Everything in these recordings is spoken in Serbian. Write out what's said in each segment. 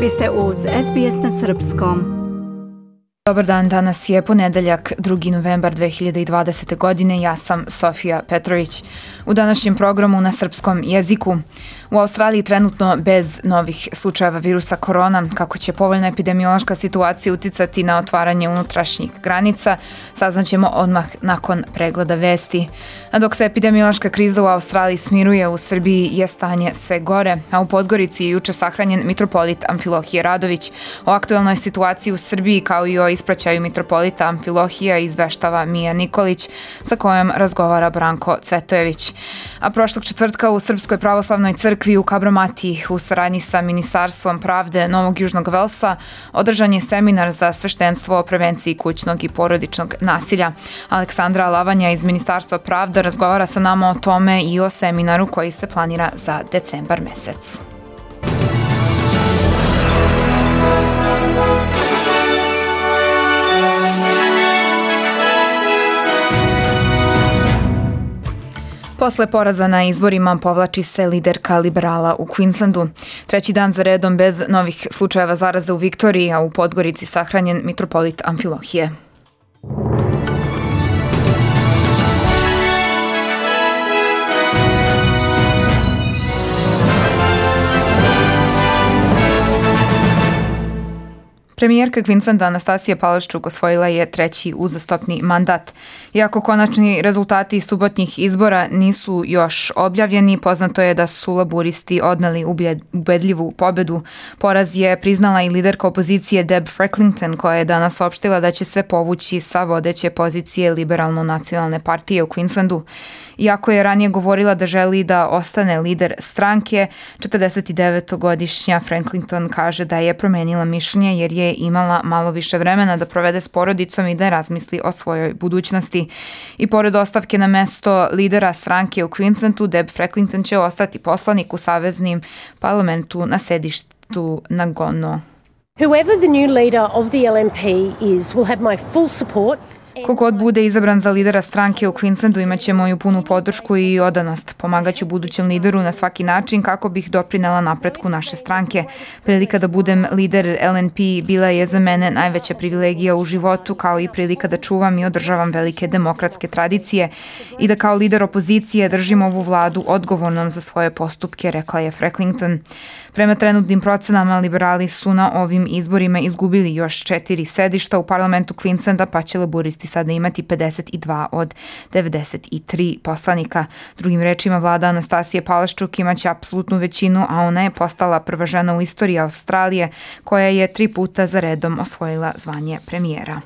Vi ste uz SBS na Srpskom. Dobar dan, danas je ponedeljak, 2. novembar 2020. godine, ja sam Sofija Petrović. U današnjem programu na srpskom jeziku. U Australiji trenutno bez novih slučajeva virusa korona, kako će povoljna epidemiološka situacija uticati na otvaranje unutrašnjih granica, saznaćemo odmah nakon pregleda vesti. A dok se epidemiološka kriza u Australiji smiruje, u Srbiji je stanje sve gore, a u Podgorici je juče sahranjen mitropolit Amfilohije Radović. O aktuelnoj situaciji u Srbiji kao i o ispraćaju mitropolita Amfilohija izveštava Mija Nikolić, sa kojom razgovara Branko Cvetojević. A prošlog četvrtka u Srpskoj pravoslavnoj crkvi u Kabromatiji u saradnji sa Ministarstvom pravde Novog Južnog Velsa održan je seminar za sveštenstvo o prevenciji kućnog i porodičnog nasilja. Aleksandra Lavanja iz Ministarstva pravde razgovara sa nama o tome i o seminaru koji se planira za decembar mesec. Posle poraza na izborima povlači se liderka liberala u Queenslandu. Treći dan za redom bez novih slučajeva zaraze u Viktoriji, a u Podgorici sahranjen mitropolit Amfilohije. Premijerka Queenslanda Anastasija Palaszczuk osvojila je treći uzastopni mandat. Iako konačni rezultati subotnjih izbora nisu još objavljeni, poznato je da su laburisti odneli ubedljivu pobedu. Poraz je priznala i liderka opozicije Deb Frecklington, koja je danas opštila da će se povući sa vodeće pozicije Liberalno-nacionalne partije u Queenslandu. Iako je ranije govorila da želi da ostane lider stranke, 49-godišnja Frecklington kaže da je promenila mišljenje jer je imala malo više vremena da provede s porodicom i da razmisli o svojoj budućnosti. I pored ostavke na mesto lidera stranke u Queenslandu, Deb Frecklington će ostati poslanik u saveznim parlamentu na sedištu Nagono. Whoever the new leader of the LNP is will have my full support. Kogod bude izabran za lidera stranke u Queenslandu imaće moju punu podršku i odanost. Pomagaću budućem lideru na svaki način kako bih doprinela napretku naše stranke. Prilika da budem lider LNP bila je za mene najveća privilegija u životu, kao i prilika da čuvam i održavam velike demokratske tradicije i da kao lider opozicije držim ovu vladu odgovornom za svoje postupke, rekla je Frecklington. Prema trenutnim procenama, liberali su na ovim izborima izgubili još 4 sedišta u parlamentu Queenslanda, pa će laburisti sada imati 52 od 93 poslanika. Drugim rečima, vlada Anastasije Palaszczuk imaće apsolutnu većinu, a ona je postala prva žena u istoriji Australije koja je 3 puta za redom osvojila zvanje premijera.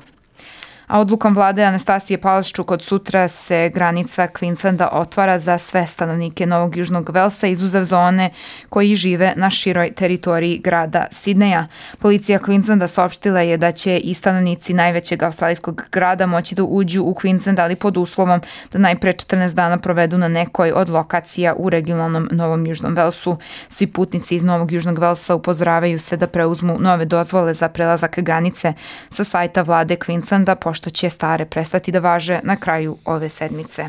A odlukom vlade Anastasije Palaszczuk od sutra se granica Queenslanda otvara za sve stanovnike Novog Južnog Velsa, izuzev zone koji žive na široj teritoriji grada Sidneja. Policija Queenslanda saopštila je da će i stanovnici najvećeg australijskog grada moći da uđu u Queensland, ali pod uslovom da najpre 14 dana provedu na nekoj od lokacija u regionalnom Novom Južnom Velsu. Svi putnici iz Novog Južnog Velsa upozoravaju se da preuzmu nove dozvole za prelazak granice sa sajta vlade Queenslanda, što će stare prestati da važe na kraju ove sedmice.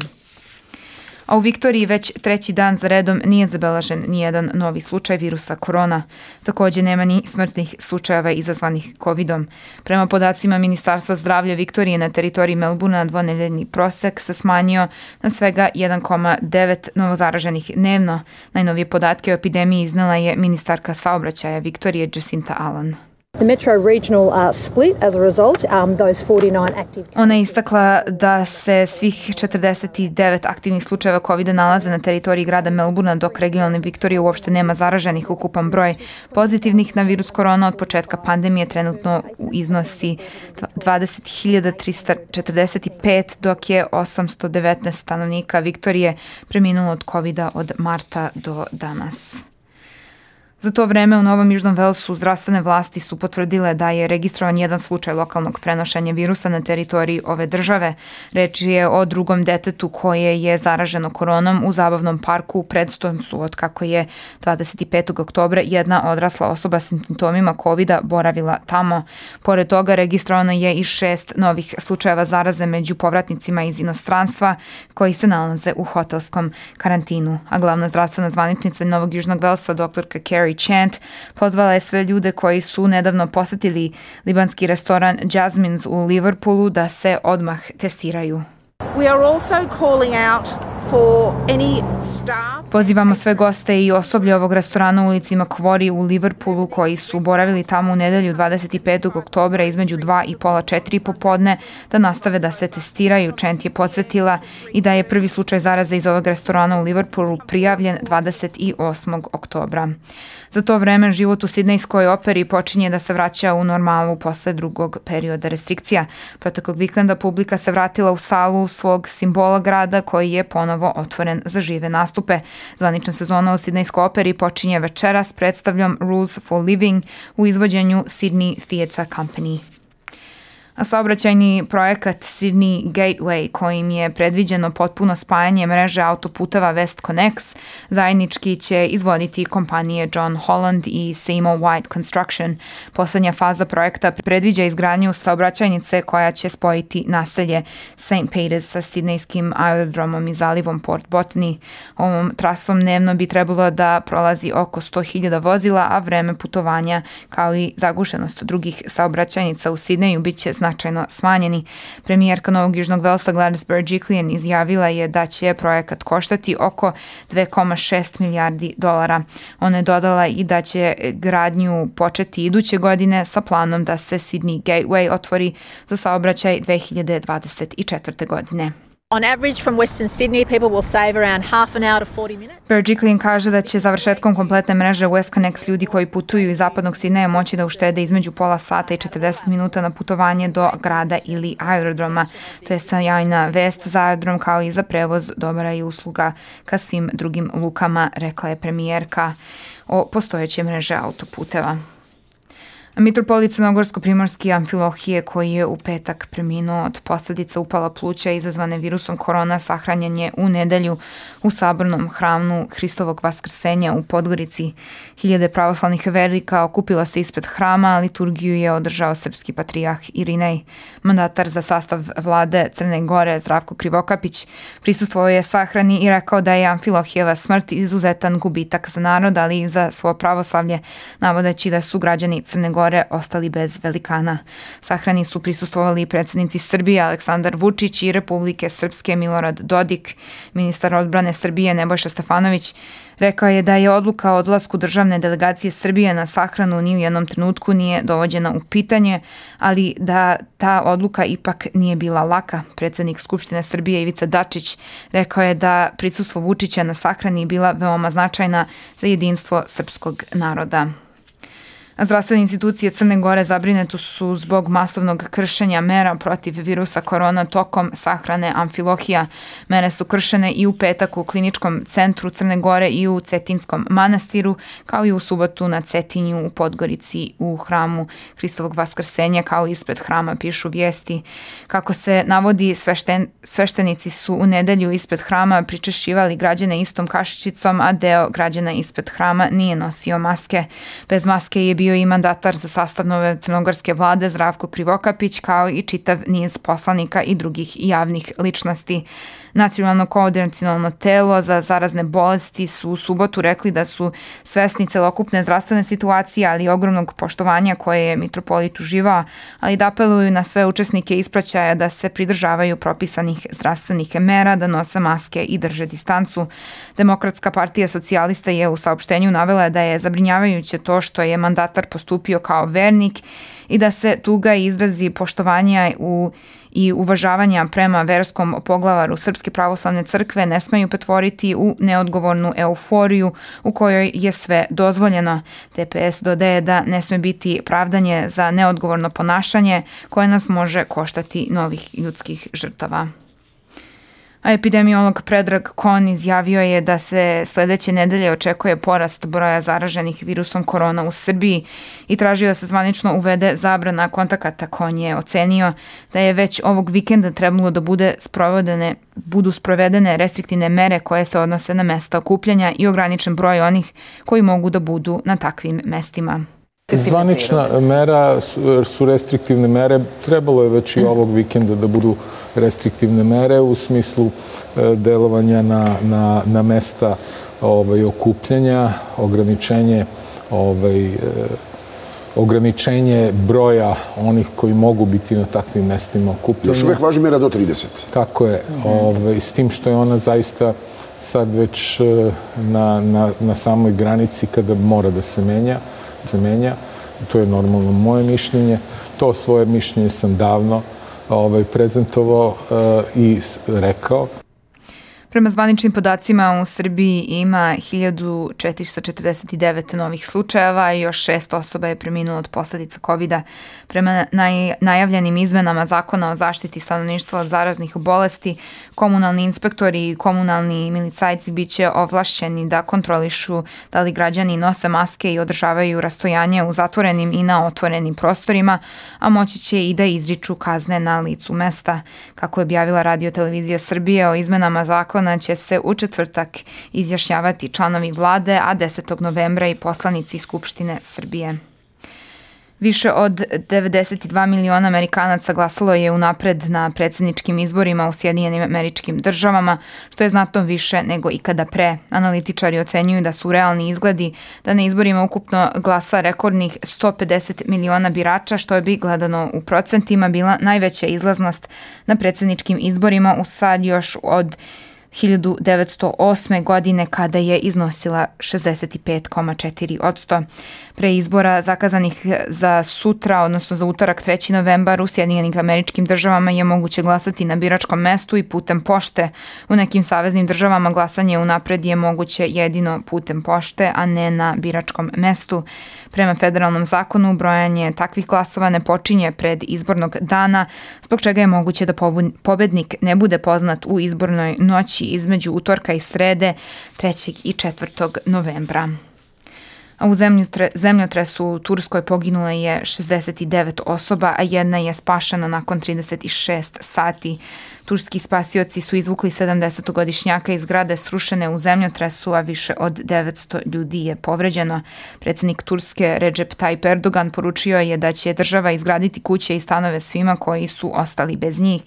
A u Viktoriji već treći dan za redom nije zabeležen nijedan novi slučaj virusa korona. Također nema ni smrtnih slučajeva izazvanih COVID-om. Prema podacima Ministarstva zdravlja Viktorije, na teritoriji Melbournea dvonedeljni prosek se smanjio na svega 1,9 novozaraženih dnevno. Najnovije podatke o epidemiji iznela je ministarka saobraćaja Viktorije Jacinta Allen. The Metro Regional split as a result, those 49 active. Ona je istakla da se svih 49 aktivnih slučajeva COVID-a nalaze na teritoriji grada Melbournea, dok regionalne Viktorije uopšte nema zaraženih. Ukupan broj pozitivnih na virus korona od početka pandemije trenutno iznosi 20.345, dok je 819 stanovnika Viktorije preminulo od COVID-a od marta do danas. Za to vreme u Novom Južnom Velsu zdravstvene vlasti su potvrdile da je registrovan jedan slučaj lokalnog prenošenja virusa na teritoriji ove države. Reč je o drugom detetu koje je zaraženo koronom u zabavnom parku u Predstonsu, od kako je 25. oktobra jedna odrasla osoba s simptomima COVID-a boravila tamo. Pored toga registrovano je i 6 novih slučajeva zaraze među povratnicima iz inostranstva koji se nalaze u hotelskom karantinu. A glavna zdravstvena zvaničnica Novog Južnog Velsa, dr. Carrie Carrie Chant pozvala je sve ljude koji su nedavno posetili libanski restoran Jasmine's u Liverpoolu da se odmah testiraju. We are also calling out for any staff. Pozivamo sve goste i osoblje ovog restorana u ulici Macquarie u Liverpoolu koji su boravili tamo u nedelju 25. oktobra između 2 i pola 4 popodne da nastave da se testiraju. Chant je podsjetila i da je prvi slučaj zaraze iz ovog restorana u Liverpoolu prijavljen 28. oktobra. Za to vreme život u Sidnejskoj operi počinje da se vraća u normalu posle drugog perioda restrikcija. Proteklog vikenda publika se vratila u salu svog simbola grada koji je ponovo otvoren za žive nastupe. Zvanična sezona u Sidnejskoj operi počinje večeras predstavljom Rules for Living u izvođenju Sydney Theatre Company. A saobraćajni projekat Sydney Gateway, kojim je predviđeno potpuno spajanje mreže autoputeva WestConnex, zajednički će izvoditi kompanije John Holland i Seymour White Construction. Poslednja faza projekta predviđa izgradnju saobraćajnice koja će spojiti naselje St. Peters sa sidnejskim aerodromom i zalivom Port Botany. Ovom trasom dnevno bi trebalo da prolazi oko 100.000 vozila, a vreme putovanja kao i zagušenost drugih saobraćajnica u Sidneju bit će značajno smanjeni. Premijerka Novog Južnog Velsa Gladys Berejiklian izjavila je da će projekat koštati oko $2,6 milijardi. Ona je dodala i da će gradnju početi iduće godine sa planom da se Sydney Gateway otvori za saobraćaj 2024. godine. On average from Western Sydney, people will save around half an hour to 40 minutes. Berejiklian kaže da će završetkom kompletne mreže WestConnex ljudi koji putuju iz zapadnog Sidneja moći da uštede između pola sata i 40 minuta na putovanje do grada ili aerodroma. To je sjajna vest za aerodrom kao i za prevoz dobra i usluga ka svim drugim lukama, rekla je premijerka o postojeće mreže autoputeva. Mitropolit Crnogorsko-primorski Amfilohije, koji je u petak preminuo od posledica upala pluća izazvane virusom korona, sahranjen je u nedelju u sabornom hramu Hristovog vaskrsenja u Podgorici. Hiljade pravoslavnih vernika okupilo se ispred hrama, liturgiju je održao srpski patrijarh Irinej. Mandatar za sastav vlade Crne Gore Zdravko Krivokapić prisustvovao je sahrani i rekao da je Amfilohijeva smrt izuzetan gubitak za narod, ali i za svo pravoslavlje, navodeći da su građani Crne Gore ostali bez velikana. Sahrani su prisustvovali predsjednici Srbije Aleksandar Vučić i Republike Srpske Milorad Dodik. Ministar odbrane Srbije Nebojša Stefanović rekao je da je odluka o odlasku državne delegacije Srbije na sahranu ni u jednom trenutku nije dovođena u pitanje, ali da ta odluka ipak nije bila laka. Predsjednik Skupštine Srbije Ivica Dačić rekao je da prisustvo Vučića na sahrani bila veoma značajna za jedinstvo srpskog naroda. Zdravstvene institucije Crne Gore zabrinute su zbog masovnog kršenja mera protiv virusa korona tokom sahrane Amfilohija. Mere su kršene i u petak u kliničkom centru Crne Gore i u Cetinskom manastiru, kao i u subotu na Cetinju u Podgorici u hramu Hristovog vaskrsenja, kao i ispred hrama, pišu vijesti. Kako se navodi, sveštenici su u nedelju ispred hrama pričešćivali građane istom kašičicom, a deo građana ispred hrama nije nosio maske. Bez maske je bio i mandatar za sastav nove crnogorske vlade Zdravko Krivokapić, kao i čitav niz poslanika i drugih javnih ličnosti. Nacionalno koordinacionalno telo za zarazne bolesti su u subotu rekli da su svesni celokupne zdravstvene situacije, ali i ogromnog poštovanja koje je mitropolit uživao, ali da apeluju na sve učesnike ispraćaja da se pridržavaju propisanih zdravstvenih mera, da nose maske i drže distancu. Demokratska partija socijalista je u saopštenju navela da je zabrinjavajuće to što je mandatar postupio kao vernik i da se tuga izrazi poštovanja i uvažavanja prema verskom poglavaru Srpske pravoslavne crkve ne smeju pretvoriti u neodgovornu euforiju u kojoj je sve dozvoljeno. DPS dodaje da ne sme biti pravdanje za neodgovorno ponašanje koje nas može koštati novih ljudskih žrtava. A epidemiolog Predrag Kon izjavio je da se sledeće nedelje očekuje porast broja zaraženih virusom korona u Srbiji i tražio da se zvanično uvede zabrana kontakata. Kon je ocenio da je već ovog vikenda trebalo da budu sprovedene restriktivne mere koje se odnose na mesta okupljanja i ograničen broj onih koji mogu da budu na takvim mestima. Zvanična mera su restriktivne mere. Trebalo je već i ovog vikenda da budu restriktivne mere u smislu delovanja na mesta okupljanja, ograničenje ograničenje broja onih koji mogu biti na takvim mestima okupljanja. Još uvek važi mera do 30. Tako je. S tim što je ona zaista sad već na samoj granici kada mora da se menja. To je normalno moje mišljenje. To svoje mišljenje sam davno prezentovao i rekao. Prema zvaničnim podacima u Srbiji ima 1449 novih slučajeva i još 6 osoba je preminulo od posledica COVID-a. Prema najavljenim izmenama Zakona o zaštiti stanovništva od zaraznih bolesti, komunalni inspektori i komunalni milicajci biće ovlašćeni da kontrolišu da li građani nose maske i održavaju rastojanje u zatvorenim i na otvorenim prostorima, a moći će i da izriču kazne na licu mesta. Kako je objavila Radio televizija Srbije, o izmenama zakona će se u četvrtak izjašnjavati članovi vlade, a 10. novembra i poslanici Skupštine Srbije. Više od 92 miliona Amerikanaca glasalo je unapred na predsjedničkim izborima u Sjedinjenim Američkim Državama, što je znatno više nego ikada pre. Analitičari ocenjuju da su realni izgledi da na izborima ukupno glasa rekordnih 150 miliona birača, što bi gledano u procentima bila najveća izlaznost na predsjedničkim izborima u sad još od 1908. godine kada je iznosila 65,4%. Pre izbora zakazanih za sutra, odnosno za utorak 3. novembar u Sjedinjenim Američkim Državama je moguće glasati na biračkom mestu i putem pošte. U nekim saveznim državama glasanje unapred je moguće jedino putem pošte, a ne na biračkom mestu. Prema federalnom zakonu, brojanje takvih glasova ne počinje pred izbornog dana, zbog čega je moguće da pobednik ne bude poznat u izbornoj noći između utorka i srede 3. i 4. novembra. A u zemljotresu u Turskoj poginulo je 69 osoba, a jedna je spašena nakon 36 sati. Turski spasioci su izvukli 70-godišnjaka iz zgrade srušene u zemljotresu, a više od 900 ljudi je povređeno. Predsjednik Turske Recep Tayyip Erdogan poručio je da će država izgraditi kuće i stanove svima koji su ostali bez njih.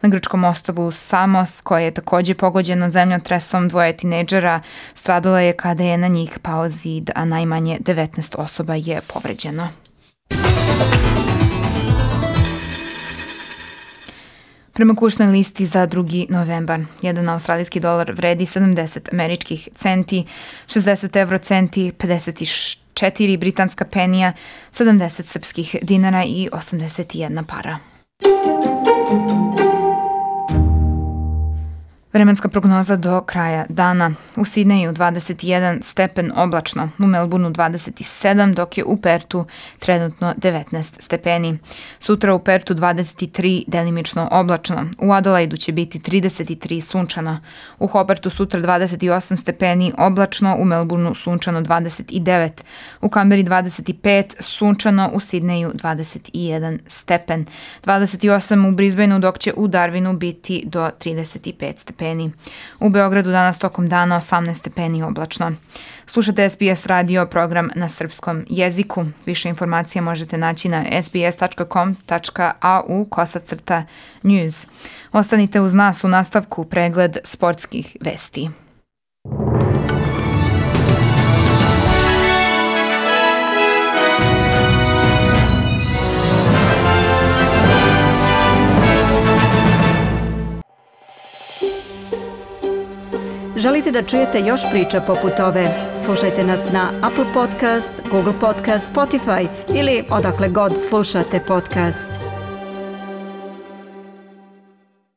Na grčkom ostrvu Samos, koje je također pogođeno zemljotresom, 2 tinejdžera stradalo je kada je na njih pao zid, a najmanje 19 osoba je povređeno. Prema kursnoj listi za 2. novembar, jedan australijski dolar vredi 70 američkih centi, 60 evrocenti, 54 britanska penija, 70 srpskih dinara i 81 para. Vremenska prognoza do kraja dana. U Sidneju 21 stepen oblačno, u Melbourneu 27, dok je u Pertu trenutno 19 stepeni. Sutra u Pertu 23 delimično oblačno, u Adelaidu će biti 33 sunčano, u Hobartu sutra 28 stepeni oblačno, u Melbourneu sunčano 29, u Kamberi 25 sunčano, u Sidneju 21 stepen, 28 u Brisbaneu, dok će u Darwinu biti do 35 stepeni. U Beogradu danas tokom dana 18 stepeni oblačno. Slušate SBS radio, program na srpskom jeziku. Više informacija možete naći na sbs.com.au/news. Ostanite uz nas, u nastavku pregled sportskih vesti. Želite da čujete još priča poput ove? Slušajte nas na Apple Podcast, Google Podcast, Spotify ili odakle god slušate podcast.